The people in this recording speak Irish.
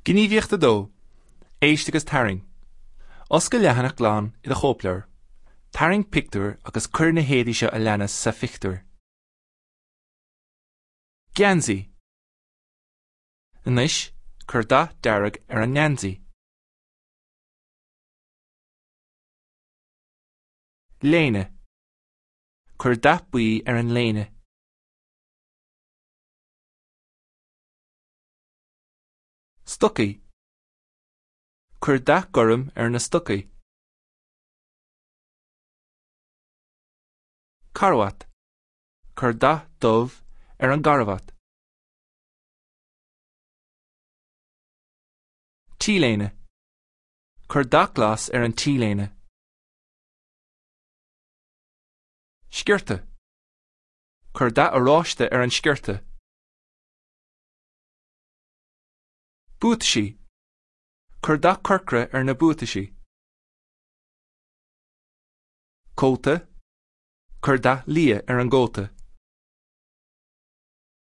Gníomhaíocht 2, Éist agus Tarraing. Oscail leathanach glan i do chóipleabhar. Tarraing pictiúr agus cuir na héadaí seo a leanas sa phictiúr. Geansaí. Anois, cuir dath dearg ar an ngeansaí. Léine. Cuir dath buí ar an léine. Stocaí. Cuir dath gorm ar na stocaí. Carbhat. Cuir dath dubh ar an gcarbhat. T-léine. Cuir dath glas ar an T-léine. Sciorta. Cuir dath oráiste ar an sciorta. Buataisí. Cuir dath corcra ar na buataisí. Cóta. Cuir dath liath ar an gcóta.